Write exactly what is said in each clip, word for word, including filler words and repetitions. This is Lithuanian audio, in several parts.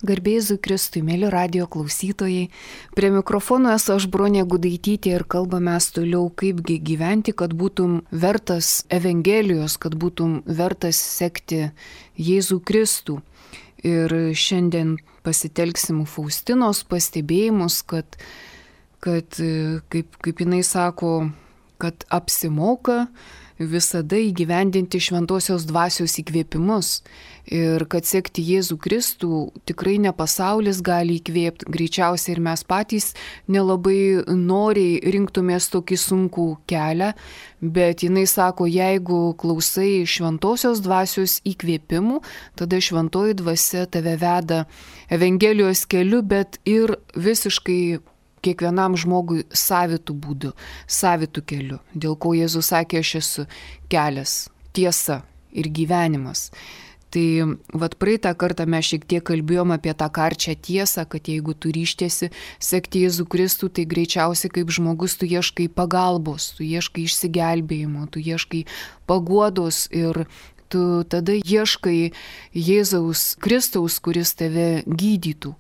Garbė Jėzui Kristui, mėly radijo klausytojai. Prie mikrofono esu aš, Bronė Gudaitytė, ir kalbame mes toliau, kaipgi gyventi, kad būtum vertas Evangelijos, kad būtum vertas sekti Jėzų Kristų. Ir šiandien pasitelksim Faustinos pastebėjimus, kad, kad kaip, kaip jinai sako, kad apsimoka visada įgyvendinti šventosios dvasios įkvėpimus. Ir kad sekti Jėzų Kristų tikrai ne pasaulis gali įkvėpti, greičiausiai ir mes patys nelabai noriai rinktumės tokį sunkų kelią, bet jinai sako, jeigu klausai šventosios dvasios įkvėpimų, tada šventoji dvasia tave veda Evangelijos keliu, bet ir visiškai kiekvienam žmogui savitų būdų, savitų kelių, dėl ko Jėzus sakė, aš esu kelias, tiesa ir gyvenimas. Tai vat praeitą kartą mes šiek tiek kalbėjom apie tą karčią tiesą, kad jeigu tu ryštiesi sekti Jėzų Kristų, tai greičiausiai kaip žmogus tu ieškai pagalbos, tu ieškai išsigelbėjimo, tu ieškai paguodos ir tu tada ieškai Jėzaus Kristaus, kuris tave gydytų.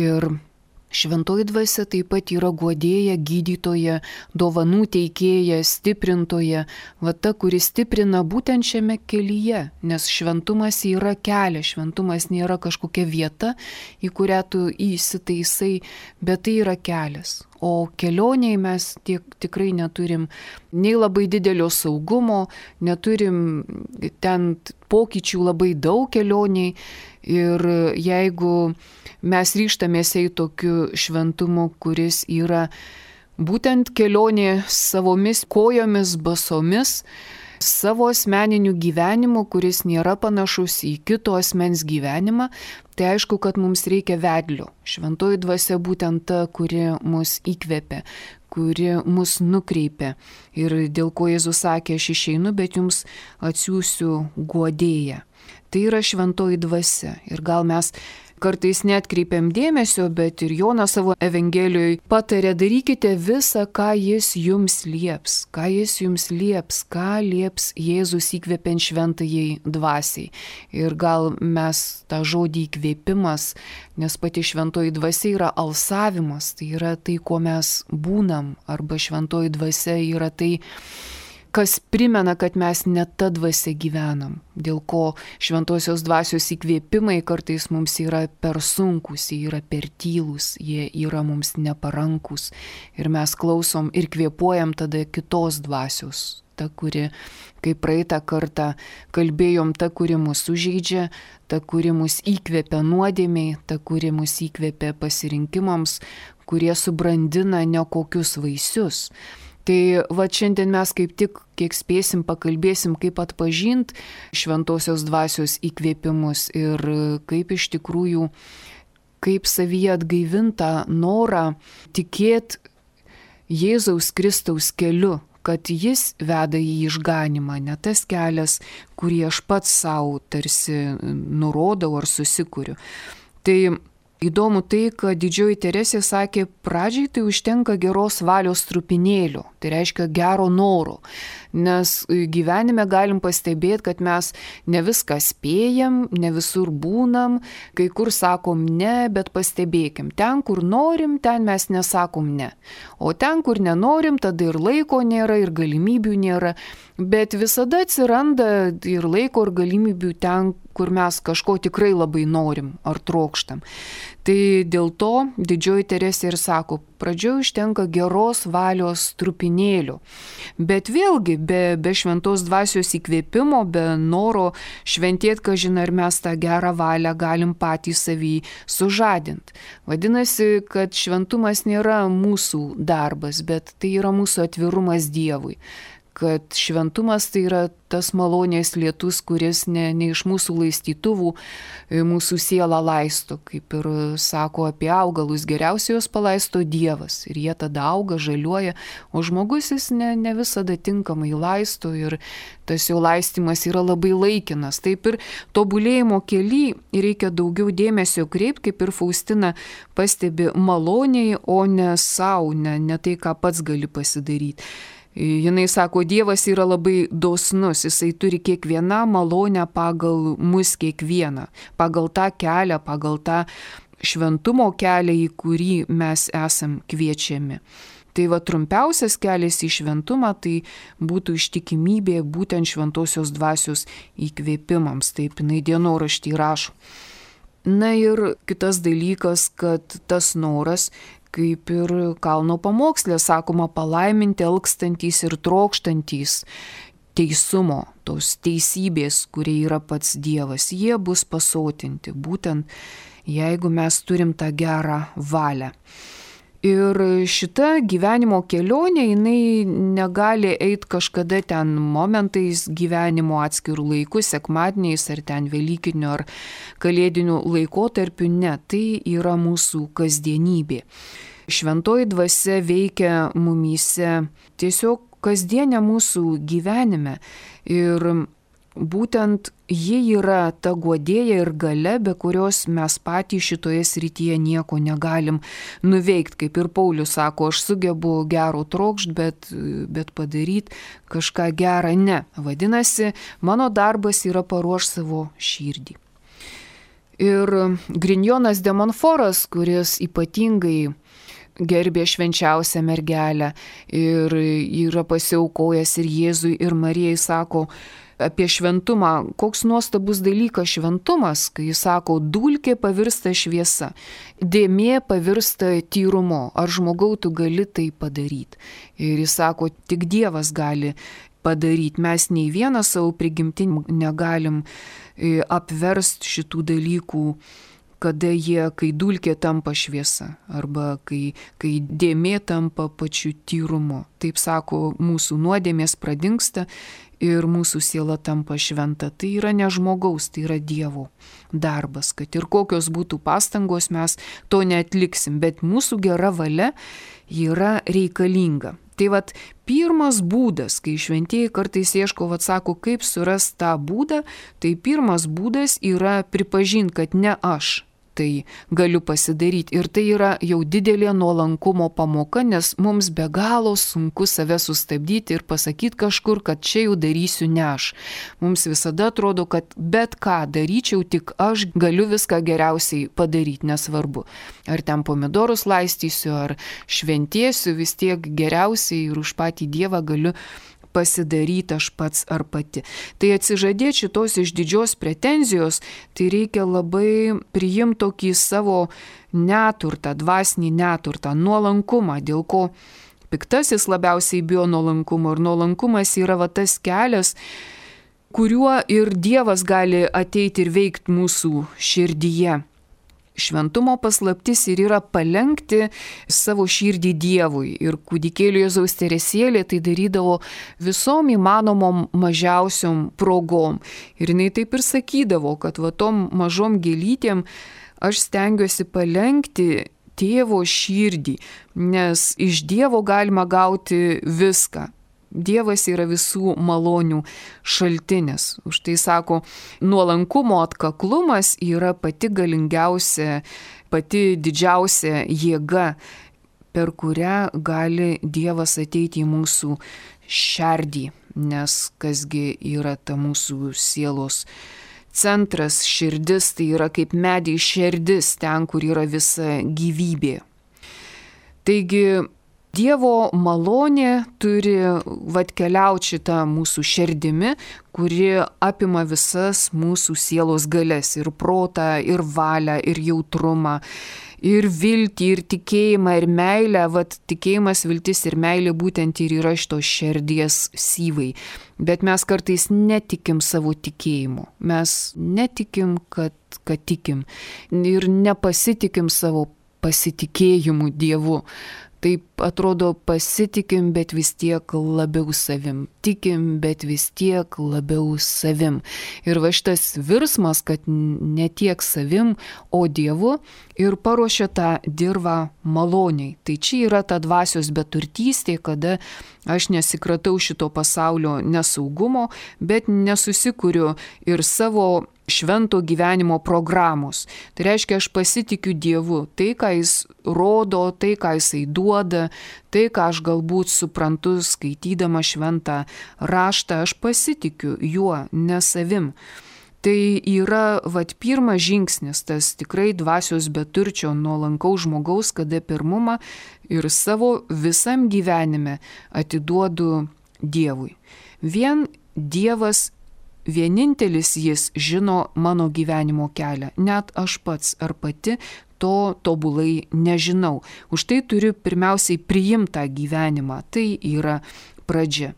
Ir šventoji dvasia taip pat yra guodėja, gydytoja, dovanų teikėja, stiprintoja, va ta, kuri stiprina būtent šiame kelyje, nes šventumas yra kelias, šventumas nėra kažkokia vieta, į kurią tu įsitaisai, bet tai yra kelias. O kelionėje mes tiek, tikrai neturim nei labai didelio saugumo, neturim ten pokyčių labai daug kelionėje. Ir jeigu mes ryžtamės į tokiu šventumu, kuris yra būtent kelionė savomis kojomis, basomis, savo asmeniniu gyvenimu, kuris nėra panašus į kito asmens gyvenimą, tai aišku, kad mums reikia vedlio. Šventoji dvasia būtent ta, kuri mus įkvepia, kuri mus nukreipia. Ir dėl ko Jėzus sakė, aš išeinu, bet jums atsiųsiu guodėją. Tai yra šventoji dvasia. Ir gal mes kartais neatkreipiam dėmesio, bet ir Jonas savo Evangelijoje patarė, darykite visą, ką jis jums lieps, ką jis jums lieps, ką lieps Jėzus įkvepiant šventajai dvasiai. Ir gal mes tą žodį įkvėpimas, nes pati šventoji dvasia yra alsavimas, tai yra tai, kuo mes būnam, arba šventoji dvasia yra tai, kas primena, kad mes ne ta dvasia gyvenam, dėl ko šventosios dvasios įkvėpimai kartais mums yra per sunkus, jie yra per tylūs, jie yra mums neparankus ir mes klausom ir kvėpuojam tada kitos dvasios, ta, kuri, kaip praeitą kartą kalbėjom, ta, kuri mus sužeidžia, ta, kuri mus įkvėpia nuodėmiai, ta, kuri mus įkvėpia pasirinkimams, kurie subrandina nekokius vaisius. Tai va šiandien mes kaip tik, kiek spėsim, pakalbėsim, kaip atpažinti šventosios dvasios įkvėpimus ir kaip iš tikrųjų, kaip savyje atgaivintą norą tikėti Jėzaus Kristaus keliu, kad jis veda į išganimą, ne tas kelias, kurį aš pats savo tarsi nurodau ar susikuriu. Tai įdomu tai, kad didžioji Teresė sakė, pradžiai tai užtenka geros valios trupinėlio, tai reiškia gero noro, nes gyvenime galim pastebėti, kad mes ne viską spėjam, ne visur būnam, kai kur sakom ne, bet pastebėkim, ten kur norim, ten mes nesakom ne, o ten kur nenorim, tada ir laiko nėra, ir galimybių nėra, bet visada atsiranda ir laiko, ir galimybių ten, kur mes kažko tikrai labai norim ar trokštam. Tai dėl to didžioji Teresė ir sako, pradžioje užtenka geros valios trupinėlių. Bet vėlgi, be, be šventos dvasios įkvėpimo, be noro šventėti, kažin ar mes tą gerą valią galim patys savį sužadinti. Vadinasi, kad šventumas nėra mūsų darbas, bet tai yra mūsų atvirumas Dievui. Kad šventumas tai yra tas malonės lietus, kuris ne, ne iš mūsų laistytuvų mūsų sielą laisto, kaip ir sako apie augalus, geriausiai juos palaisto Dievas ir jie tada auga, žaliuoja, o žmogus jis ne, ne visada tinkamai laisto ir tas jo laistymas yra labai laikinas. Taip ir tobulėjimo kely reikia daugiau dėmesio kreipti, kaip ir Faustina pastebi, maloniai, o ne savo, ne, ne tai, ką pats gali pasidaryti. Jinai sako, Dievas yra labai dosnus, jisai turi kiekvieną malonę pagal mus kiekvieną, pagal tą kelią, pagal tą šventumo kelią, į kurį mes esam kviečiami. Tai va trumpiausias kelias į šventumą tai būtų ištikimybė būtent šventosios dvasios įkvėpimams, taip jinai dienoraštį rašo. Na ir kitas dalykas, kad tas noras, kaip ir kalno pamoksle sakoma, palaiminti alkstantys ir trokštantys teisumo, tos teisybės, kurie yra pats Dievas, jie bus pasotinti, būtent jeigu mes turim tą gerą valią. Ir šita gyvenimo kelionė, jinai negali eiti kažkada ten momentais gyvenimo atskirų laikų, sekmadieniais ar ten velykinių ar kalėdinių laikotarpių, ne, tai yra mūsų kasdienybė. Šventoji dvasia veikia mumyse tiesiog kasdienė mūsų gyvenime ir būtent ji yra ta guodėja ir galia, be kurios mes patys šitoje srityje nieko negalim nuveikti. Kaip ir Paulius sako, aš sugebu gero trokšt, bet, bet padaryti kažką gerą ne. Vadinasi, mano darbas yra paruošti savo širdį. Ir Grignonas de Montfortas, kuris ypatingai gerbė švenčiausią mergelę ir yra pasiaukojęs ir Jėzui, ir Marijai, sako apie šventumą, koks nuostabus dalykas šventumas, kai jis sako, dulkė pavirsta šviesa, dėmė pavirsta tyrumu, ar žmogau tu gali tai padaryti. Ir jis sako, tik Dievas gali padaryti, mes nei vieną savo prigimtį negalim apversti šitų dalykų, kada jie, kai dulkė tampa šviesa, arba kai, kai dėmė tampa pačiu tyrumu. Taip sako, mūsų nuodėmės pradingsta ir mūsų siela tampa šventa. Tai yra ne žmogaus, tai yra Dievo darbas, kad ir kokios būtų pastangos, mes to neatliksim, bet mūsų gera valia yra reikalinga. Tai vat pirmas būdas, kai šventieji kartais ieško, vat sako, kaip surasti tą būdą, tai pirmas būdas yra pripažinti, kad ne aš tai galiu pasidaryti. Ir tai yra jau didelė nuolankumo pamoka, nes mums be galo sunku save sustabdyti ir pasakyti kažkur, kad čia jau darysiu ne aš. Mums visada atrodo, kad bet ką daryčiau, tik aš galiu viską geriausiai padaryti, nesvarbu. Ar ten pomidorus laistysiu, ar šventėsiu, vis tiek geriausiai ir už patį Dievą galiu pasidaryti aš pats ar pati. Tai atsižadėti šitos išdidžios pretenzijos, tai reikia labai priimti tokį savo neturtą, dvasinį neturtą, nuolankumą, dėl ko piktasis labiausiai bijo nuolankumo. Ir nuolankumas yra va tas kelias, kuriuo ir Dievas gali ateiti ir veikti mūsų širdyje. Šventumo paslaptis ir yra palenkti savo širdį Dievui. Ir kūdikėlio Jėzaus Teresėlė tai darydavo visom įmanomom mažiausiom progom. Ir jinai taip ir sakydavo, kad va tom mažom gėlytėm aš stengiuosi palenkti tėvo širdį, nes iš Dievo galima gauti viską. Dievas yra visų malonių šaltinis. Už tai sako, nuolankumo atkaklumas yra pati galingiausia, pati didžiausia jėga, per kurią gali Dievas ateiti į mūsų širdį. Nes kasgi yra ta mūsų sielos centras, širdis, tai yra kaip medį širdis, ten, kur yra visa gyvybė. Taigi, Dievo malonė turi atkeliauti šitą mūsų širdimi, kuri apima visas mūsų sielos galias, ir protą, ir valią, ir jautrumą, ir viltį, ir tikėjimą, ir meilę. Vat tikėjimas, viltis ir meilė būtent ir yra šitos širdies syvai. Bet mes kartais netikim savo tikėjimu. Mes netikim, kad, kad tikim. Ir nepasitikim savo pasitikėjimu Dievu. Taip atrodo, pasitikim, bet vis tiek labiau savim. Tikim, bet vis tiek labiau savim. Ir va šitas virsmas, kad ne tiek savim, o Dievu, ir paruošia tą dirvą maloniai. Tai čia yra ta dvasios beturtystė, kada aš nesikratau šito pasaulio nesaugumo, bet nesusikuriu ir savo švento gyvenimo programos. Tai reiškia, aš pasitikiu Dievu. Tai, ką jis rodo, tai, ką jisai duoda, tai, ką aš galbūt suprantu skaitydama šventą raštą, aš pasitikiu juo, ne savim. Tai yra, vat, pirmas žingsnis, tas tikrai dvasios beturčio nuolankaus žmogaus, kada pirmumą ir savo visam gyvenime atiduodu Dievui. Vien Dievas vienintelis jis žino mano gyvenimo kelią, net aš pats ar pati to tobulai nežinau. Už tai turiu pirmiausiai priimti tą gyvenimą, tai yra pradžia.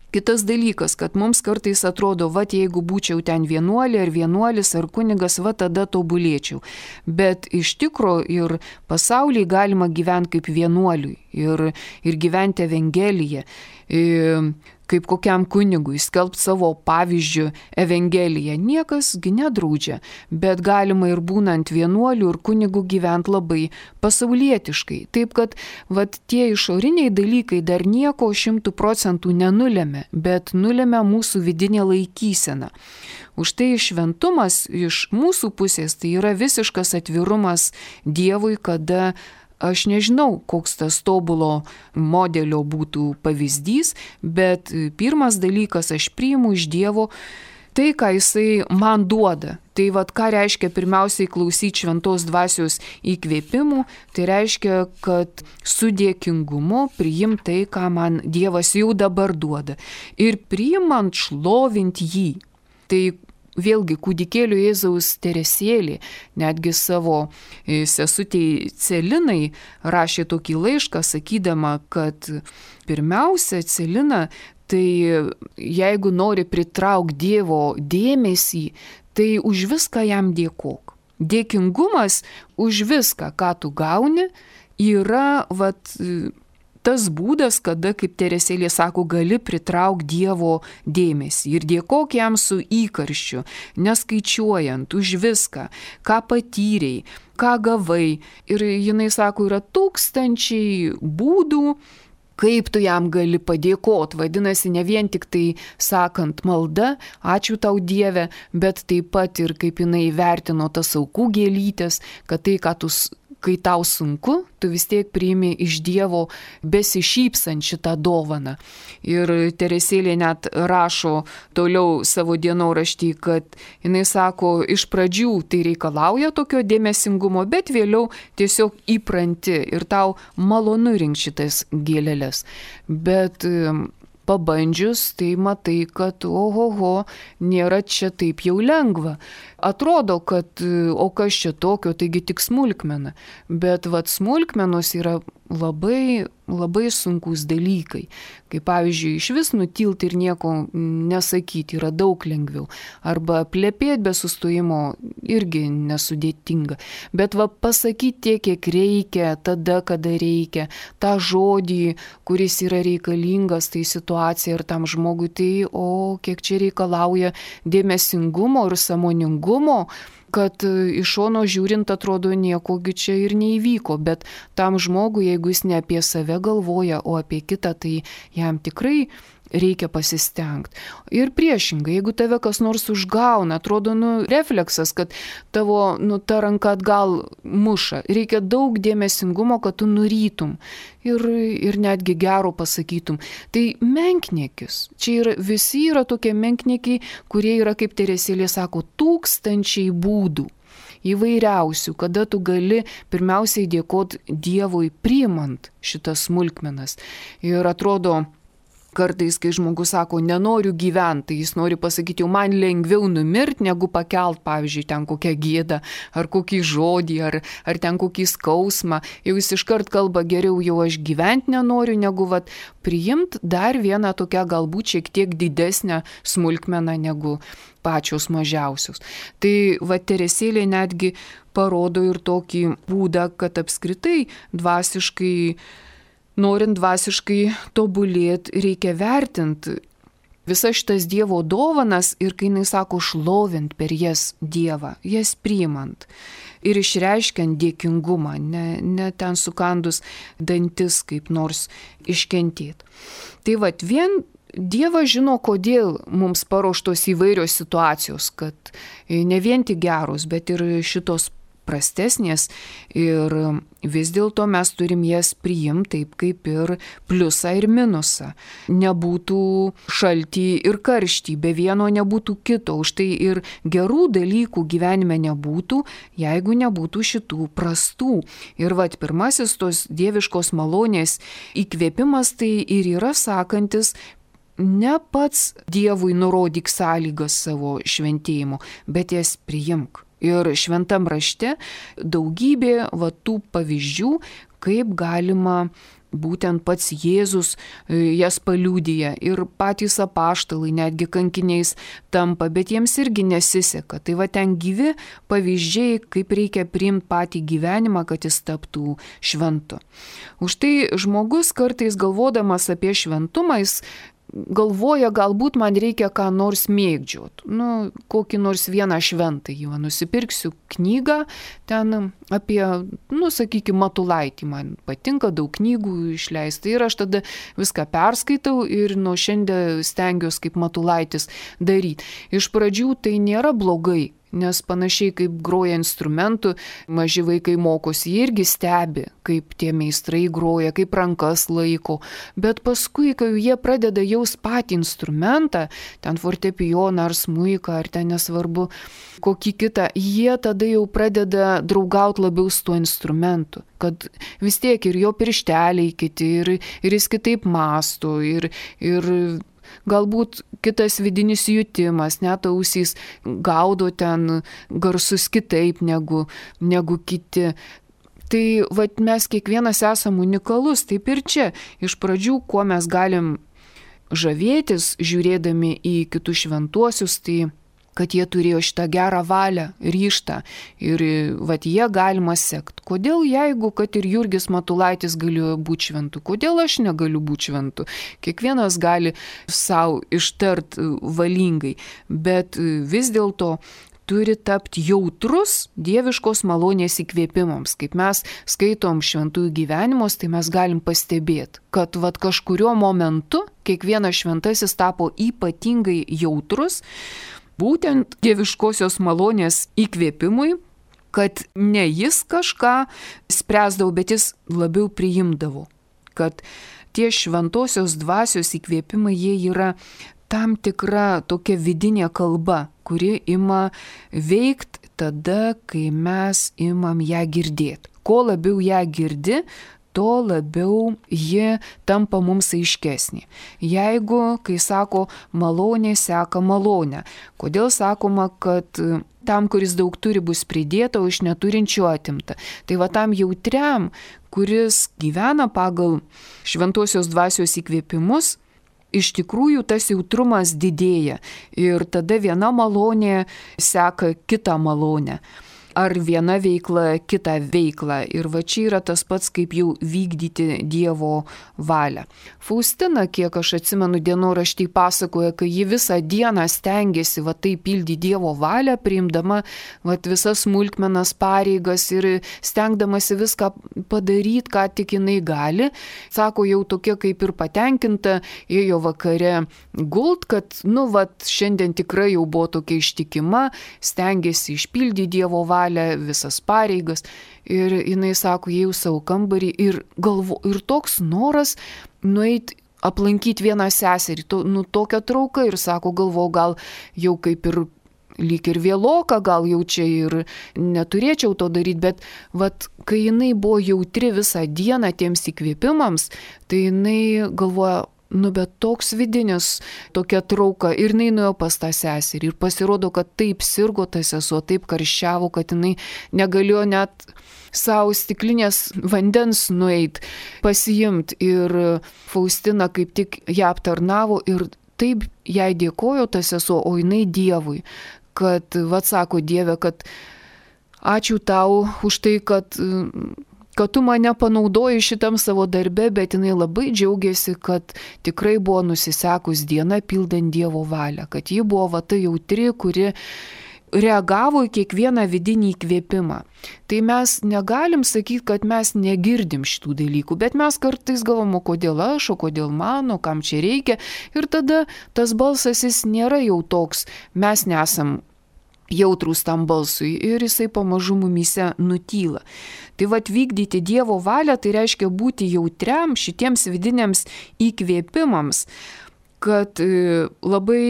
Kitas dalykas, kad mums kartais atrodo, va, jeigu būčiau ten vienuolė ar vienuolis ar kunigas, va, tada tobulėčiau. Bet iš tikro ir pasaulyje galima gyventi kaip vienuoliui ir, ir gyventi Evangeliją. Ir kaip kokiam kunigui, skelbti savo pavyzdžių Evangeliją. Niekasgi nedraudžia, bet galima ir būnant vienuoliu ir kunigu gyventi labai pasaulietiškai. Taip, kad vat, tie išoriniai dalykai dar nieko šimtų procentų nenulėmė, bet nulėmė mūsų vidinė laikysena. Už tai šventumas iš mūsų pusės tai yra visiškas atvirumas Dievui, kada aš nežinau, koks tas tobulo modelio būtų pavyzdys, bet pirmas dalykas, aš priimu iš Dievo tai, ką jisai man duoda. Tai vad, ką reiškia pirmiausiai klausyti šventos dvasios įkvėpimų, tai reiškia, kad su dėkingumu priimti tai, ką man Dievas jau dabar duoda. Ir priimant šlovint jį. Tai vėlgi kūdikėlio Jėzaus Teresėlė, netgi savo sesutei Celinai rašė tokį laišką, sakydama, kad pirmiausia, Celina, tai jeigu nori pritraukti Dievo dėmesį, tai už viską jam dėkok. Dėkingumas už viską, ką tu gauni, yra vat, tas būdas, kada, kaip Teresėlė sako, gali pritraukti Dievo dėmesį ir dėkok jam su įkarščiu, neskaičiuojant už viską, ką patyrei, ką gavai. Ir jinai sako, yra tūkstančiai būdų, kaip tu jam gali padėkoti. Vadinasi, ne vien tik tai sakant malda, ačiū tau Dieve, bet taip pat ir kaip jinai vertino tas aukų gėlytės, kad tai, ką tu kai tau sunku, tu vis tiek priimi iš Dievo besišypsant šitą dovaną. Ir Teresėlė net rašo toliau savo dienoraštį, kad jinai sako, iš pradžių tai reikalauja tokio dėmesingumo, bet vėliau tiesiog įpranti ir tau malonu rinkti šitas gėlelės. Bet pabandžius, tai matai, kad ohoho, nėra čia taip jau lengva. Atrodo, kad o kas čia tokio, taigi tik smulkmena. Bet vat smulkmenos yra labai, labai sunkus dalykai. Kaip pavyzdžiui, iš vis nutilti ir nieko nesakyti yra daug lengviau. Arba plepėti be sustojimo irgi nesudėtinga. Bet va pasakyti tiek, kiek reikia, tada, kada reikia, tą žodį, kuris yra reikalingas tai situacija ir tam žmogui, tai o kiek čia reikalauja dėmesingumo ir sąmoningumo, kad iš šono žiūrint atrodo niekogi čia ir neįvyko, bet tam žmogui, jeigu jis ne apie save galvoja, o apie kitą, tai jam tikrai reikia pasistengti. Ir priešingai, jeigu tave kas nors užgauna, atrodo, nu, refleksas, kad tavo, nu, ta ranka atgal muša, reikia daug dėmesingumo, kad tu nurytum ir, ir netgi gero pasakytum. Tai menkniekis. Čia yra, visi yra tokie menkniekiai, kurie yra, kaip Teresėlė sako, tūkstančiai būdų. Įvairiausių, kada tu gali pirmiausiai dėkoti Dievui priimant šitas smulkmenas. Ir atrodo, kartais, kai žmogus sako, nenoriu gyventi, tai jis nori pasakyti, jau man lengviau numirti, negu pakelt, pavyzdžiui, ten kokią gėdą, ar kokį žodį, ar, ar ten kokį skausmą. Jau jis iškart kalba, geriau jau aš gyventi nenoriu, negu vat, priimti dar vieną tokią galbūt šiek tiek didesnę smulkmeną negu pačios mažiausios. Tai va Teresėlė netgi parodo ir tokį būdą, kad apskritai dvasiškai norint dvasiškai tobulėti, reikia vertinti visas šitas Dievo dovanas ir kai jinai sako šlovint per jas Dievą, jas priimant ir išreiškiant dėkingumą, ne, ne ten sukandus dantis kaip nors iškentėti. Tai vat vien Dievas žino, kodėl mums paruoštos įvairios situacijos, kad ne vien tik geros, bet ir šitos prastesnės ir vis dėlto mes turim jas priimti taip kaip ir pliusą ir minusą. Nebūtų šaltį ir karštį, be vieno nebūtų kito, už tai ir gerų dalykų gyvenime nebūtų, jeigu nebūtų šitų prastų. Ir vat pirmasis tos dieviškos malonės įkvėpimas tai ir yra sakantis, ne pats Dievui nurodyk sąlygas savo šventėjimu, bet jas priimk. Ir šventam rašte daugybė va tų pavyzdžių, kaip galima būtent pats Jėzus jas paliudija. Ir patys apaštalai netgi kankiniais tampa, bet jiems irgi nesiseka. Tai va ten gyvi pavyzdžiai, kaip reikia priimti patį gyvenimą, kad jis taptų šventu. Už tai žmogus kartais galvodamas apie šventumą, jis galvoja, galbūt man reikia ką nors mėgdžiot, nu, kokį nors vieną šventą, jau nusipirksiu knygą ten apie, nu, sakykime, Matulaitį, man patinka daug knygų išleisti ir aš tada viską perskaitau ir nuo šiandien stengiuosi kaip Matulaitis daryti. Iš pradžių tai nėra blogai, nes panašiai kaip groja instrumentų, maži vaikai mokosi, jie irgi stebi, kaip tie meistrai groja, kaip rankas laiko, bet paskui, kai jie pradeda jaus patį instrumentą, ten fortepijoną ar smuiką, ar ten nesvarbu kokį kitą, jie tada jau pradeda draugauti labiau su tuo instrumentu, kad vis tiek ir jo piršteliai kiti, ir, ir jis kitaip mąsto, ir, ir galbūt kitas vidinis jutimas, net ausys gaudo ten garsus kitaip negu, negu kiti. Tai vat, mes kiekvienas esam unikalus, taip ir čia. Iš pradžių, kuo mes galim žavėtis, žiūrėdami į kitus šventuosius, tai kad jie turėjo šitą gerą valią, ryžtą ir vat jie galima sekti. Kodėl jeigu, kad ir Jurgis Matulaitis galėjo būti šventu, kodėl aš negaliu būti šventu? Kiekvienas gali savo ištart valingai, bet vis dėlto turi tapti jautrus dieviškos malonės įkvėpimams. Kaip mes skaitom šventųjų gyvenimus, tai mes galim pastebėti, kad vat kažkurio momentu kiekvienas šventasis tapo ypatingai jautrus, būtent dieviškosios malonės įkvėpimui, kad ne jis kažką spręsdavo, bet jis labiau priimdavo. Kad tie šventosios dvasios įkvėpimai, jie yra tam tikra tokia vidinė kalba, kuri ima veikti tada, kai mes imam ją girdėti. Kuo labiau ją girdi, to labiau ji tampa mums aiškesnė. Jeigu, kai sako, malonė seka malonę, kodėl sakoma, kad tam, kuris daug turi, bus pridėta, o iš neturinčių atimta. Tai va tam jautriam, kuris gyvena pagal šventosios dvasios įkvėpimus, iš tikrųjų tas jautrumas didėja ir tada viena malonė seka kitą malonę. Ar viena veikla, kita veikla. Ir va čia yra tas pats, kaip jau vykdyti Dievo valią. Faustina, kiek aš atsimenu, dienoraštį pasakoja, kai ji visą dieną stengiasi va taip pildyti Dievo valią, priimdama va visas smulkmenas pareigas ir stengdamasi viską padaryti, ką tik jinai gali. Sako, jau tokia kaip ir patenkinta, ėjo vakare gult, kad, nu, va, šiandien tikrai jau buvo tokia ištikima, stengiasi išpildyti Dievo valią, visas pareigas ir jinai sako, jau savo kambarį ir, galvo, ir toks noras nueiti aplankyti vieną seserį, to, nu tokia trauka ir sako, galvo, gal jau kaip ir lyg ir vėloka, gal jau čia ir neturėčiau to daryti, bet vat, kai jinai buvo jautri visą dieną tiems įkvėpimams, tai jinai galvoja, nu, bet toks vidinis, tokia trauka ir jinai nuėjo pas tą seserį ir pasirodo, kad taip sirgo ta sesuo, taip karščiavo, kad jinai negalėjo net savo stiklinės vandens nueit, pasiimt ir Faustina kaip tik ją aptarnavo ir taip jai dėkojo ta sesuo, o jinai Dievui, kad, vad sako, Dieve, kad ačiū tau už tai, kad kad tu mane panaudoji šitam savo darbe, bet jinai labai džiaugiasi, kad tikrai buvo nusisekus diena pildant Dievo valią, kad ji buvo va ta jautri, kuri reagavo į kiekvieną vidinį įkvėpimą. Tai mes negalim sakyti, kad mes negirdim šitų dalykų, bet mes kartais galvom, o kodėl aš, o kodėl man, o kam čia reikia. Ir tada tas balsas jis nėra jau toks, mes nesam jautrūs tam balsui ir jisai pamažu mumyse nutyla. Tai vat vykdyti Dievo valią, tai reiškia būti jautriam šitiems vidiniams įkvėpimams, kad labai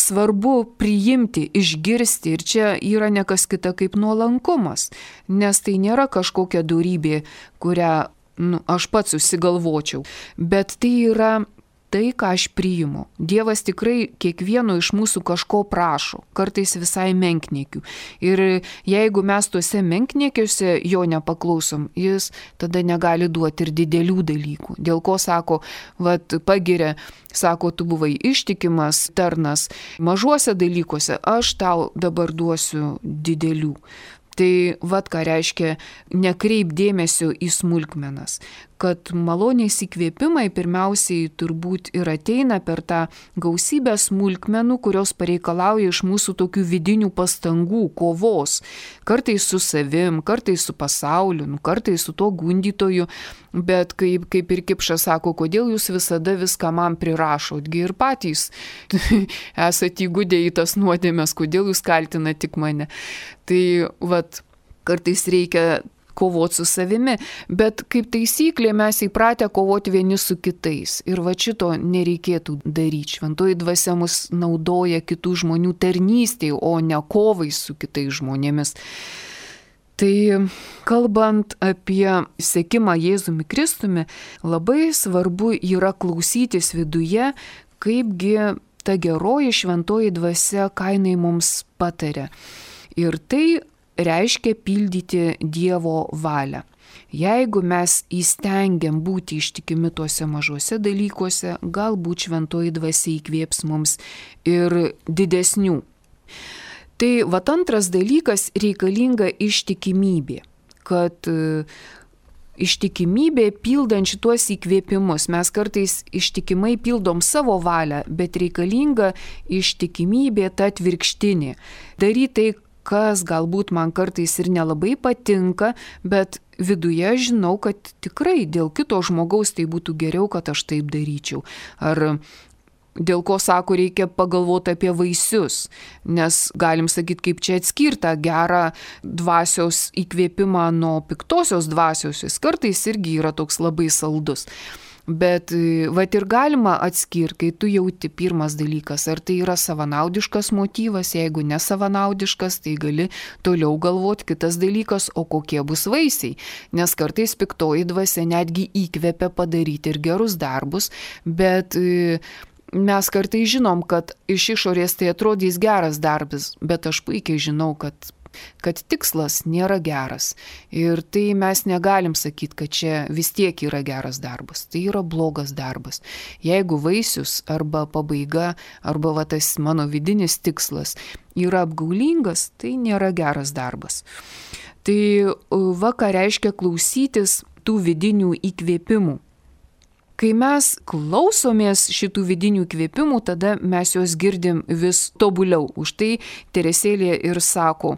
svarbu priimti, išgirsti ir čia yra ne kas kita kaip nuolankumas, nes tai nėra kažkokia dorybė, kurią nu, aš pats susigalvočiau, bet tai yra tai, ką aš priimu. Dievas tikrai kiekvieno iš mūsų kažko prašo, kartais visai menkniekių. Ir jeigu mes tuose menkniekiuose jo nepaklausom, jis tada negali duoti ir didelių dalykų. Dėl ko sako, vat pagiria, sako, tu buvai ištikimas tarnas mažuose dalykuose, aš tau dabar duosiu didelių. Tai vat ką reiškia nekreip dėmesio į smulkmenas, kad malonės įkvėpimai pirmiausiai turbūt ir ateina per tą gausybę smulkmenų, kurios pareikalauja iš mūsų tokių vidinių pastangų, kovos, kartais su savim, kartais su pasauliu, nu, kartais su to gundytoju, bet kaip, kaip ir Kipšas sako, kodėl jūs visada viską man prirašotgi ir patys esate įgudę į tas nuodėmes, kodėl jūs kaltinate tik mane. Tai vat, kartais reikia kovoti su savimi, bet kaip taisyklė mes įpratę kovoti vieni su kitais ir va šito nereikėtų daryti. Šventoji dvasia mus naudoja kitų žmonių tarnystėje, o ne kovai su kitais žmonėmis. Tai kalbant apie sekimą Jėzumi Kristumi, labai svarbu yra klausytis viduje, kaipgi ta geroji šventoji dvasia, ką jinai mums pataria. Ir tai reiškia pildyti Dievo valią. Jeigu mes įstengiam būti ištikimi tuose mažuose dalykuose, galbūt šventoji dvasia įkvėps mums ir didesnių. Tai vat antras dalykas reikalinga ištikimybė, kad ištikimybė pildant šitos įkvėpimus. Mes kartais ištikimai pildom savo valią, bet reikalinga ištikimybė ta atvirkštinė. Daryti tai, kas galbūt man kartais ir nelabai patinka, bet viduje žinau, kad tikrai dėl kito žmogaus tai būtų geriau, kad aš taip daryčiau. Ar dėl ko, sako, reikia pagalvoti apie vaisius, nes galim sakyti, kaip čia atskirta gerą dvasios įkvėpimą nuo piktosios dvasios, jis kartais irgi yra toks labai saldus. Bet vat ir galima atskirti, kai tu jauti pirmas dalykas, ar tai yra savanaudiškas motyvas, jeigu nesavanaudiškas, tai gali toliau galvoti kitas dalykas, o kokie bus vaisiai, nes kartais piktoji dvasia netgi įkvepia padaryti ir gerus darbus, bet mes kartais žinom, kad iš išorės tai atrodys geras darbas, bet aš puikiai žinau, kad kad tikslas nėra geras. Ir tai mes negalim sakyti, kad čia vis tiek yra geras darbas. Tai yra blogas darbas. Jeigu vaisius arba pabaiga, arba va, tas mano vidinis tikslas yra apgaulingas, tai nėra geras darbas. Tai va, ką reiškia klausytis tų vidinių įkvėpimų. Kai mes klausomės šitų vidinių įkvėpimų, tada mes juos girdim vis tobuliau. Už tai Teresėlė ir sako,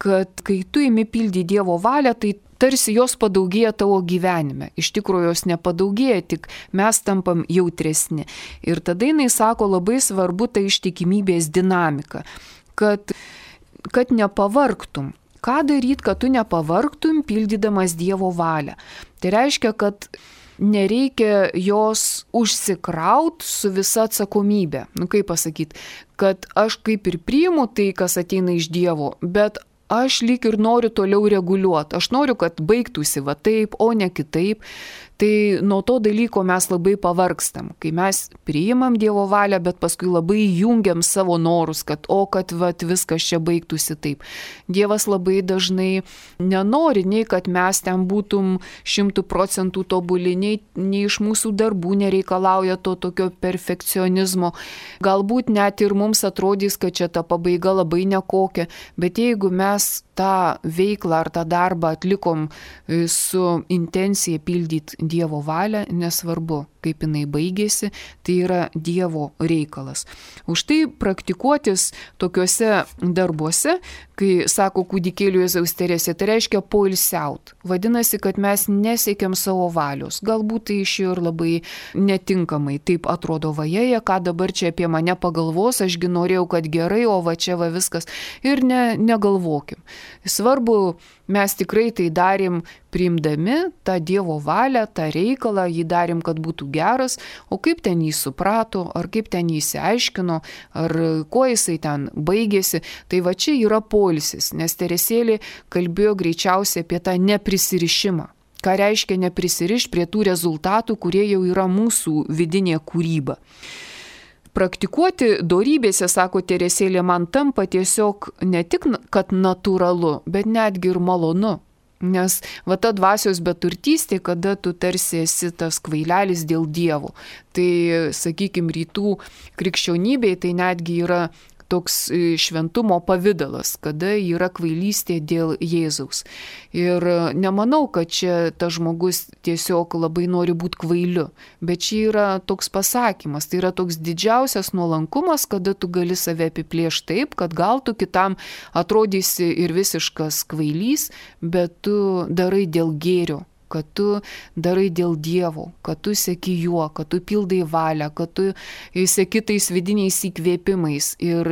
kad kai tu imi pildyti Dievo valią, tai tarsi jos padaugėja tavo gyvenime. Iš tikrųjų jos nepadaugėja, tik mes tampam jautresni. Ir tada jinai sako, labai svarbu ta ištikimybės dinamika, kad, kad nepavargtum. Ką daryti, kad tu nepavargtum pildydamas Dievo valią? Tai reiškia, kad nereikia jos užsikraut su visa atsakomybė. Nu kaip pasakyti, kad aš kaip ir priimu tai, kas ateina iš Dievo, bet aš lyg ir noriu toliau reguliuoti. Aš noriu, kad baigtųsi va taip, o ne kitaip. Tai nuo to dalyko mes labai pavargstam, kai mes priimam Dievo valią, bet paskui labai jungiam savo norus, kad o, kad vat, viskas čia baigtųsi taip. Dievas labai dažnai nenori, nei kad mes ten būtum šimtų procentų tobuli, nei, nei iš mūsų darbų nereikalauja to tokio perfekcionizmo. Galbūt net ir mums atrodys, kad čia ta pabaiga labai nekokia, bet jeigu mes tą veiklą ar tą darbą atlikom su intencija pildyti Dievo valia, nesvarbu, kaip jinai baigėsi, tai yra Dievo reikalas. Už tai praktikuotis tokiuose darbuose, kai sako kūdikėlių Jėzaus Teresė, tai reiškia poilsiaut. Vadinasi, kad mes nesiekiam savo valios. Galbūt tai išėjo ir labai netinkamai. Taip atrodo, vajeje, ką dabar čia apie mane pagalvos, ašgi norėjau, kad gerai, o va čia va viskas. Ir ne, negalvokim. Svarbu, mes tikrai tai darėm priimdami tą Dievo valią, tą reikalą, jį darėm, kad būtų geras, o kaip ten jį suprato, ar kaip ten jį įsiaiškino, ar kuo jisai ten baigėsi, tai va čia yra poilsis, nes Teresėlė kalbėjo greičiausiai apie tą neprisirišimą. Ką reiškia neprisirišti prie tų rezultatų, kurie jau yra mūsų vidinė kūryba. Praktikuoti dorybėse, sako Teresėlė, man tampa tiesiog ne tik, kad natūralu, bet netgi ir malonu. Nes va ta dvasios beturtystė, kada tu tarsi esi tas kvailelis dėl Dievo. Tai, sakykime, rytų krikščionybėje tai netgi yra toks šventumo pavidalas, kada yra kvailystė dėl Jėzaus. Ir nemanau, kad čia tas žmogus tiesiog labai nori būti kvailiu, bet čia yra toks pasakymas, tai yra toks didžiausias nuolankumas, kada tu gali save apiplėšti taip, kad gal tu kitam atrodysi ir visiškas kvailys, bet tu darai dėl gėrio, kad tu darai dėl Dievo, kad tu seki juo, kad tu pildai valią, kad tu seki tais vidiniais įkvėpimais ir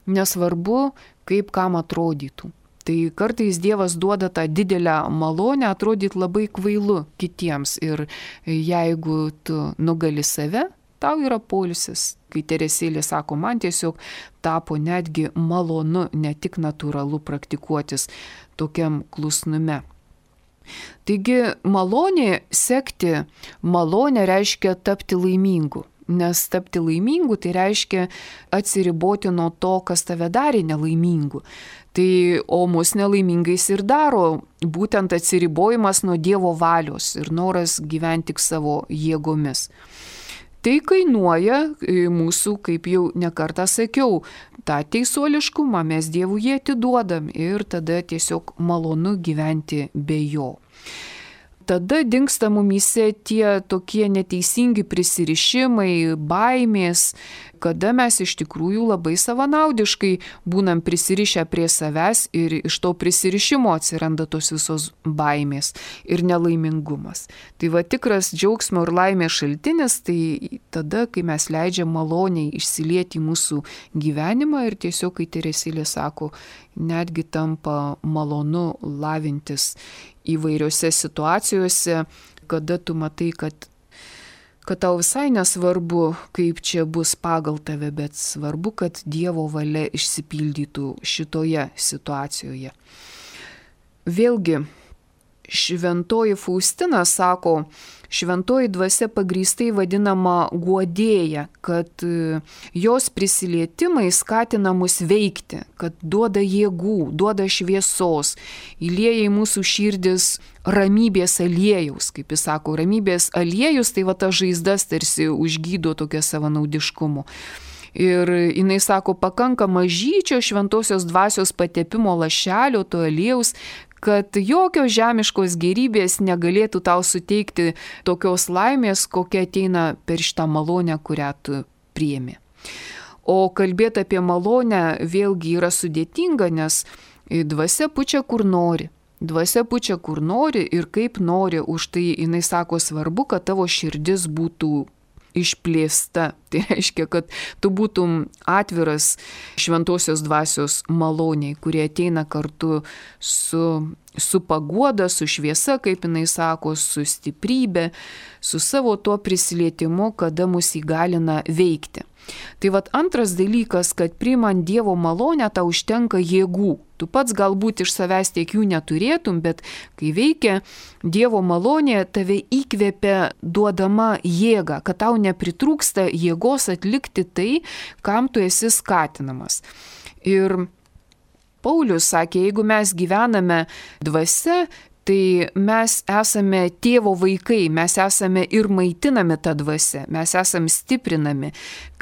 nesvarbu, kaip kam atrodytų. Tai kartais Dievas duoda tą didelę malonę atrodyti labai kvailu kitiems ir jeigu tu nugali save, tau yra poilsis. Kai Teresėlė sako, man tiesiog tapo netgi malonu, ne tik natūralu praktikuotis tokiam klusnume. Taigi malonė sekti, malonė reiškia tapti laimingu, nes tapti laimingu tai reiškia atsiriboti nuo to, kas tave darė nelaimingu. Tai, o mus nelaimingais ir daro būtent atsiribojimas nuo Dievo valios ir noras gyventi tik savo jėgomis. Tai kainuoja mūsų, kaip jau nekartą sakiau, tą teisuoliškumą mes Dievui jį atiduodam ir tada tiesiog malonu gyventi be jo. Tada dingsta mumyse tie tokie neteisingi prisirišimai, baimės, kada mes iš tikrųjų labai savanaudiškai būnam prisirišę prie savęs ir iš to prisirišimo atsiranda tos visos baimės ir nelaimingumas. Tai va tikras džiaugsmo ir laimės šaltinis, tai tada, kai mes leidžiam maloniai išsilieti į mūsų gyvenimą ir tiesiog, kai Teresėlė sako, netgi tampa malonu lavintis įvairiose situacijose, kada tu matai, kad, kad tau visai nesvarbu, kaip čia bus pagal tave, bet svarbu, kad Dievo valia išsipildytų šitoje situacijoje. Vėlgi, šventoji Faustina sako, šventoji dvasia pagrįstai vadinama guodėja, kad jos prisilietimai skatina mus veikti, kad duoda jėgų, duoda šviesos, įlieja į mūsų širdis ramybės aliejaus, kaip jis sako, ramybės aliejus, tai va ta žaizdas tarsi užgydo tokio savanaudiškumo. Ir jinai sako, pakanka mažyčio šventosios dvasios patepimo lašelio, to aliejaus, kad jokios žemiškos gėrybės negalėtų tau suteikti tokios laimės, kokia ateina per šitą malonę, kurią tu priemi. O kalbėti apie malonę vėlgi yra sudėtinga, nes dvasia pučia kur nori. Dvasia pučia kur nori ir kaip nori, už tai jinai sako svarbu, kad tavo širdis būtų išplėsta. Tai reiškia, kad tu būtum atviras šventosios dvasios maloniai, kurie ateina kartu su, su paguoda, su šviesa, kaip jinai sako, su stiprybė, su savo tuo prisilietimu, kada mus įgalina veikti. Tai vat antras dalykas, kad priimant Dievo malonę tau užtenka jėgų. Tu pats galbūt iš savęs tiek jų neturėtum, bet kai veikia Dievo malonė, tave įkvepia duodama jėga, kad tau nepritrūksta jėgos atlikti tai, kam tu esi skatinamas. Ir Paulius sakė, jeigu mes gyvename dvasia, tai mes esame tėvo vaikai, mes esame ir maitinami tą dvasią, mes esame stiprinami,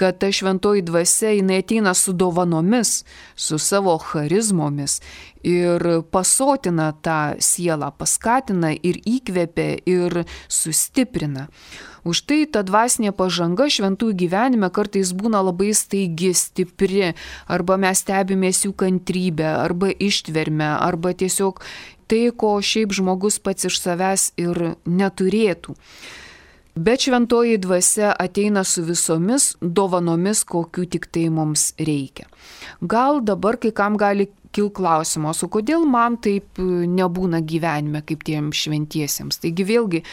kad ta šventoji dvasia jinai ateina su dovanomis, su savo charizmomis ir pasotina tą sielą, paskatina ir įkvepia ir sustiprina. Už tai ta dvasinė pažanga šventųjų gyvenime kartais būna labai staigi, stipri, arba mes stebimės jų kantrybę, arba ištvermę, arba tiesiog tai, ko šiaip žmogus pats iš savęs ir neturėtų. Bet šventoji dvasia ateina su visomis dovanomis, kokių tik tai mums reikia. Gal dabar kai kam gali kil klausimas, o kodėl man taip nebūna gyvenime kaip tiem šventiesiems? Taigi vėlgi,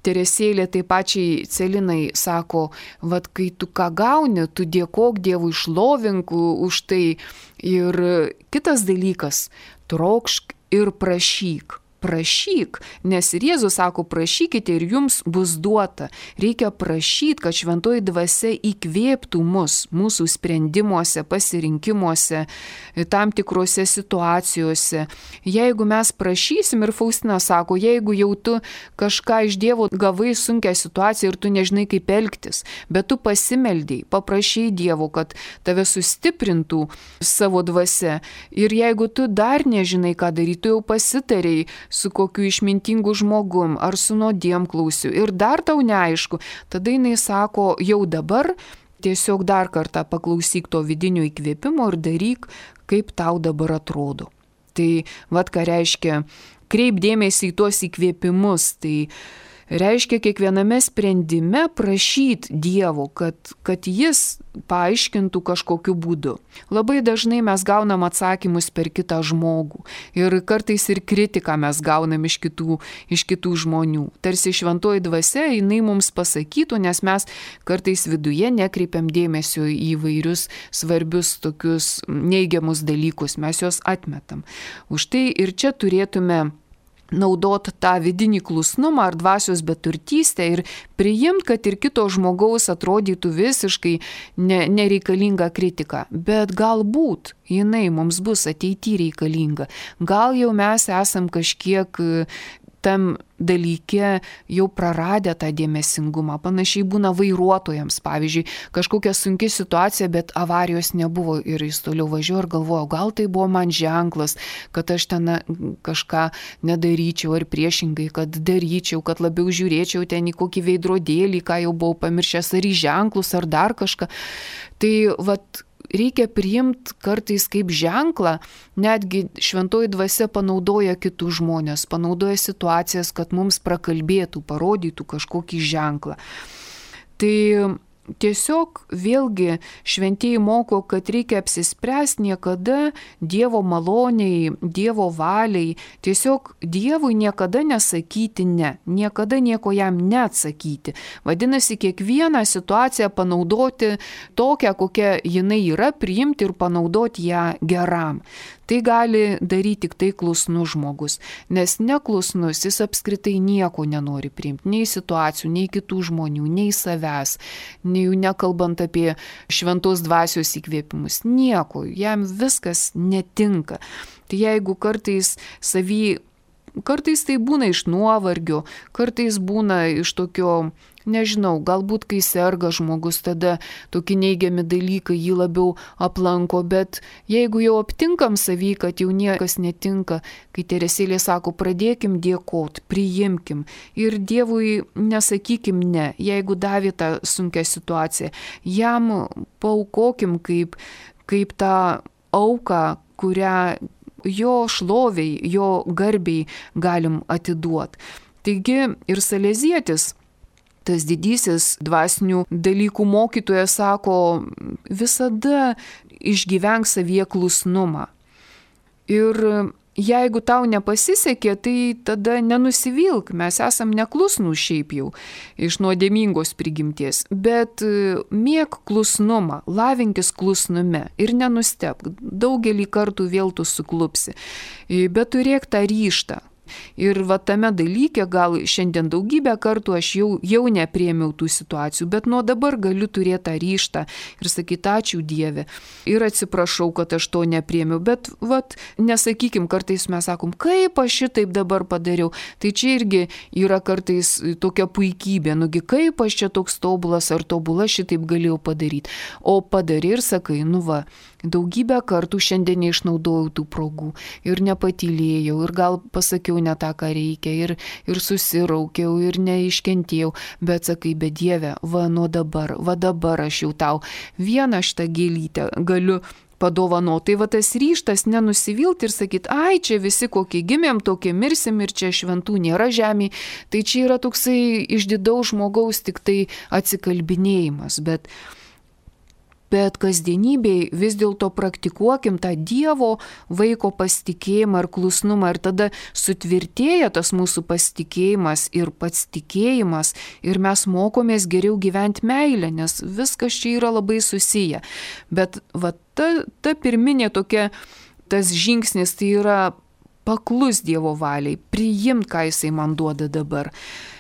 Teresėlė tai pačiai Celinai sako, vat kai tu ką gauni, tu dėkok Dievui, šlovink už tai. Ir kitas dalykas, trokšk ir prašyk. Prašyk, nes ir Jėzus sako, prašykite ir jums bus duota. Reikia prašyti, kad šventoji dvasia įkvėptų mus, mūsų sprendimuose, pasirinkimuose, tam tikrose situacijose. Jeigu mes prašysim, ir Faustina sako, jeigu jau tu kažką iš Dievo gavai sunkią situaciją ir tu nežinai kaip elgtis, bet tu pasimeldėjai, paprašai Dievo, kad tave sustiprintų savo dvasia. Ir jeigu tu dar nežinai, ką daryti, tu jau pasitarei su kokiu išmintingu žmogum ar su nuodėmklausiu ir dar tau neaišku, tada jinai sako, jau dabar tiesiog dar kartą paklausyk to vidinio įkvėpimo ir daryk, kaip tau dabar atrodo. Tai vat ką reiškia, kreip dėmesį į tuos įkvėpimus, tai reiškia kiekviename sprendime prašyti Dievo, kad, kad jis paaiškintų kažkokiu būdu. Labai dažnai mes gaunam atsakymus per kitą žmogų ir kartais ir kritiką mes gaunam iš kitų, iš kitų žmonių. Tarsi šventoji dvasia, jinai mums pasakytų, nes mes kartais viduje nekreipiam dėmesio į įvairius svarbius tokius neigiamus dalykus, mes juos atmetam. Už tai ir čia turėtume naudot tą vidinį klusnumą ar dvasios beturtystę ir priimt, kad ir kito žmogaus atrodytų visiškai ne, nereikalinga kritika. Bet galbūt jinai mums bus ateityje reikalinga. Gal jau mes esam kažkiek tam dalyke jau praradę tą dėmesingumą. Panašiai būna vairuotojams. Pavyzdžiui, kažkokia sunki situacija, bet avarijos nebuvo ir jis toliau važiuoja ir galvoja, gal tai buvo man ženklas, kad aš ten kažką nedaryčiau ar priešingai, kad daryčiau, kad labiau žiūrėčiau ten į kokį veidrodėlį, ką jau buvau pamiršęs, ar į ženklus, ar dar kažką. Tai vat reikia priimti kartais kaip ženklą, netgi šventoji dvasia panaudoja kitus žmonės, panaudoja situacijas, kad mums prakalbėtų, parodytų kažkokį ženklą. Tai tiesiog vėlgi šventieji moko, kad reikia apsispręsti niekada Dievo maloniai, Dievo valiai, tiesiog Dievui niekada nesakyti ne, niekada nieko jam neatsakyti. Vadinasi, kiekvieną situaciją panaudoti tokią, kokia jinai yra, priimti ir panaudoti ją geram. Tai gali daryti tik tai klusnus žmogus, nes neklusnus jis apskritai nieko nenori priimti, nei situacijų, nei kitų žmonių, nei savęs, nei jų nekalbant apie šventos dvasios įkvėpimus, nieko, jam viskas netinka. Tai jeigu kartais savy, kartais tai būna iš nuovargio, kartais būna iš tokio, nežinau, galbūt kai serga žmogus, tada tokie neigiami dalykai jį labiau aplanko, bet jeigu jau aptinkam savy, kad jau niekas netinka, kai Teresėlė sako, pradėkim dėkot, priimkim ir Dievui nesakykim ne, jeigu davė tą sunkią situaciją, jam paaukokim kaip, kaip tą auką, kurią jo šloviai, jo garbiai galim atiduoti. Taigi ir Salezietis, tas didysis dvasinių dalykų mokytojas sako, visada išgyvenk savyje klusnumą. Ir jeigu tau nepasisekė, tai tada nenusivilk, mes esam neklusnų šiaip jau iš nuodėmingos prigimties, bet mėk klusnumą, lavinkis klusnume ir nenustebk, daugelį kartų vėl tu suklupsi, bet turėk tą ryžtą. Ir va tame dalyke gal šiandien daugybę kartų aš jau, jau nepriėmiau tų situacijų, bet nuo dabar galiu turėti tą ryžtą ir sakyti ačiū Dieve ir atsiprašau, kad aš to nepriėmiau, bet vat, nesakykim, kartais mes sakom, kaip aš šitaip dabar padariau, tai čia irgi yra kartais tokia puikybė, nugi kaip aš čia toks tobulas ar tobula šitaip galėjau padaryti, o padarai ir sakai, nu va, daugybę kartų šiandien neišnaudojau tų progų ir nepatylėjau ir gal pasakiau ne tą, ką reikia ir, ir susiraukiau ir neiškentėjau, bet sakai, bet Dieve, va nuo dabar, va dabar aš jau tau vieną šitą gėlytę galiu padovanoti. Tai va tas ryštas nenusivilti ir sakyti, ai, čia visi kokie gimėm, tokie mirsim ir čia šventų nėra žemėje. Tai čia yra toksai išdidaus žmogaus tik tai atsikalbinėjimas. Bet, bet kasdienybėj vis dėlto praktikuokim tą Dievo vaiko pasitikėjimą ir klusnumą ir tada sutvirtėja tas mūsų pasitikėjimas ir pats tikėjimas ir mes mokomės geriau gyventi meilę, nes viskas čia yra labai susiję. Bet va Ta, ta pirminė tokia, tas žingsnis tai yra paklus Dievo valiai, priimt, ką Jisai man duoda dabar,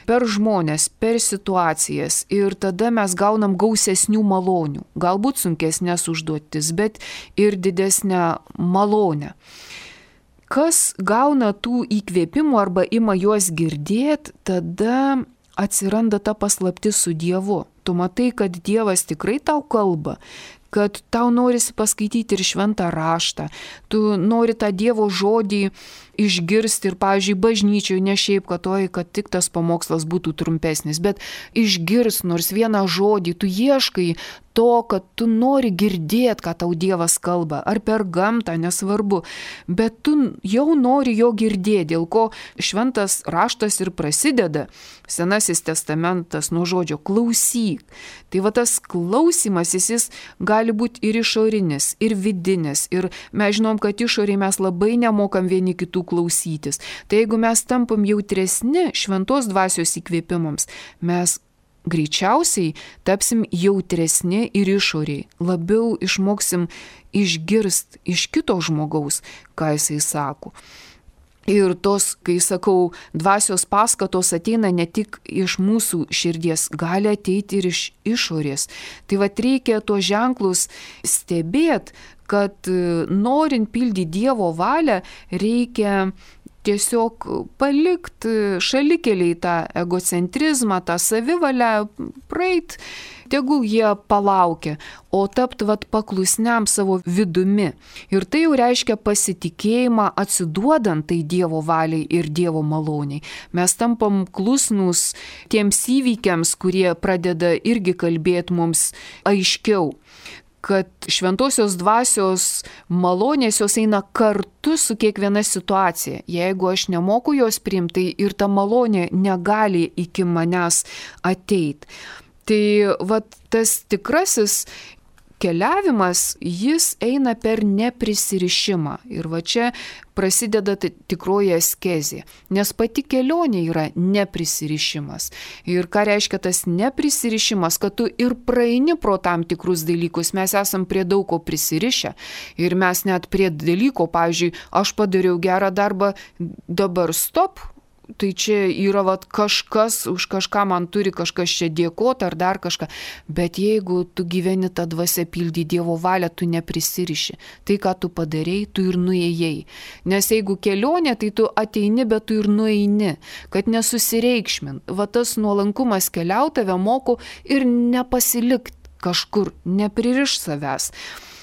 per žmonės, per situacijas ir tada mes gaunam gausesnių malonių, galbūt sunkesnės užduotis, bet ir didesnę malonę. Kas gauna tų įkvėpimų arba ima juos girdėti, tada atsiranda ta paslaptis su Dievu. Tu matai, kad Dievas tikrai tau kalba, kad tau norisi paskaityti ir šventą raštą, tu nori tą Dievo žodį išgirsti ir, pavyzdžiui, bažnyčioje ne šiaip, kad oi, kad tik tas pamokslas būtų trumpesnis, bet išgirst nors vieną žodį, tu ieškai to, kad tu nori girdėti, ką tau Dievas kalba, ar per gamtą, nesvarbu, bet tu jau nori jo girdėti, dėl ko šventas raštas ir prasideda, Senasis testamentas nuo žodžio klausyk. Tai va tas klausimas, jis gali būti ir išorinis, ir vidinis, ir mes žinom, kad išoriai mes labai nemokam vieni kitų klausytis. Tai jeigu mes tampam jautresni šventos dvasios įkvėpimams, mes greičiausiai tapsim jautresni ir išoriai, labiau išmoksim išgirst iš kito žmogaus, ką jisai sako. Ir tos, kai sakau, dvasios paskatos ateina ne tik iš mūsų širdies, gali ateiti ir iš išorės. Tai va reikia tuos ženklus stebėti, kad norint pildyti Dievo valią, reikia tiesiog palikti šalikeliai tą egocentrizmą, tą savivalę, praeit, tegul jie palaukia, o tapt vat paklusniam savo vidumi. Ir tai jau reiškia pasitikėjimą atsiduodant tai Dievo valiai ir Dievo maloniai. Mes tampam klusnus tiems įvykiams, kurie pradeda irgi kalbėti mums aiškiau, kad šventosios dvasios malonės jos eina kartu su kiekviena situacija. Jeigu aš nemoku jos priimti, tai ir ta malonė negali iki manęs ateiti. Tai vat, tas tikrasis keliavimas, jis eina per neprisirišimą. Ir va čia prasideda tikroji askezė, nes pati kelionė yra neprisirišimas. Ir ką reiškia tas neprisirišimas, kad tu ir praeini pro tam tikrus dalykus, mes esam prie daug ko prisirišę. Ir mes net prie dalyko, pavyzdžiui, aš padariau gerą darbą, dabar stop. Tai čia yra vat, kažkas, už kažką man turi kažkas čia dėkoti ar dar kažką. Bet jeigu tu gyveni tą dvasią pildy Dievo valią, tu neprisiriši. Tai, ką tu padarei, tu ir nuėjai. Nes jeigu kelionė, tai tu ateini, bet tu ir nueini. Kad nesusireikšmin. Va tas nuolankumas keliau tave moko ir nepasilikti kažkur, nepririš savęs.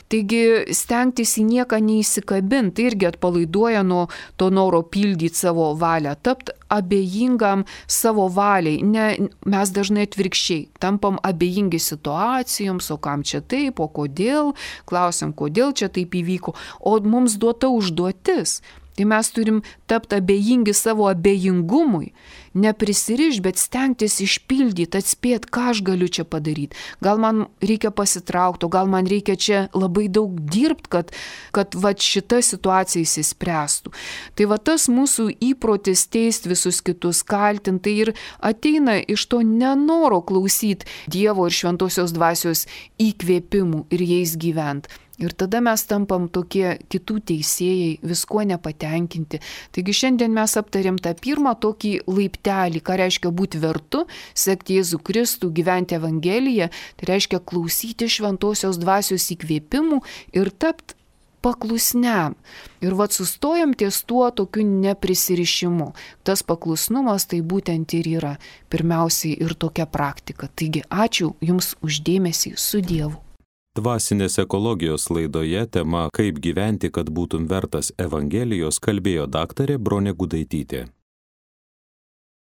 Taigi stengtis į nieką neįsikabinti, tai irgi atpalaiduoja nuo to noro pildyti savo valią, tapti abejingam savo valiai. Ne, mes dažnai atvirkščiai tampam abejingi situacijoms, o kam čia taip, o kodėl, klausim, kodėl čia taip įvyko, o mums duota užduotis. Tai mes turim tapti abejingi savo abejingumui, neprisiriš, bet stengtis išpildyti, atspėti, ką aš galiu čia padaryti. Gal man reikia pasitraukti, gal man reikia čia labai daug dirbti, kad, kad va, šita situacija įsispręstų. Tai va tas mūsų įprotis teisti visus kitus, kaltinti, tai ir ateina iš to nenoro klausyti Dievo ir šventosios dvasios įkvėpimų ir jais gyventi. Ir tada mes tampam tokie kitų teisėjai, viskuo nepatenkinti. Taigi šiandien mes aptarėm tą pirmą tokį laiptelį, ką reiškia būti vertu, sekti Jėzų Kristų, gyventi Evangeliją, tai reiškia klausyti šventosios dvasios įkvėpimų ir tapti paklusniam. Ir vat sustojam ties tuo tokiu neprisirišimu. Tas paklusnumas tai būtent ir yra pirmiausiai ir tokia praktika. Taigi ačiū Jums už dėmesį, su Dievu. Dvasinės ekologijos laidoje tema Kaip gyventi, kad būtum vertas Evangelijos kalbėjo daktarė Bronė Gudaitytė.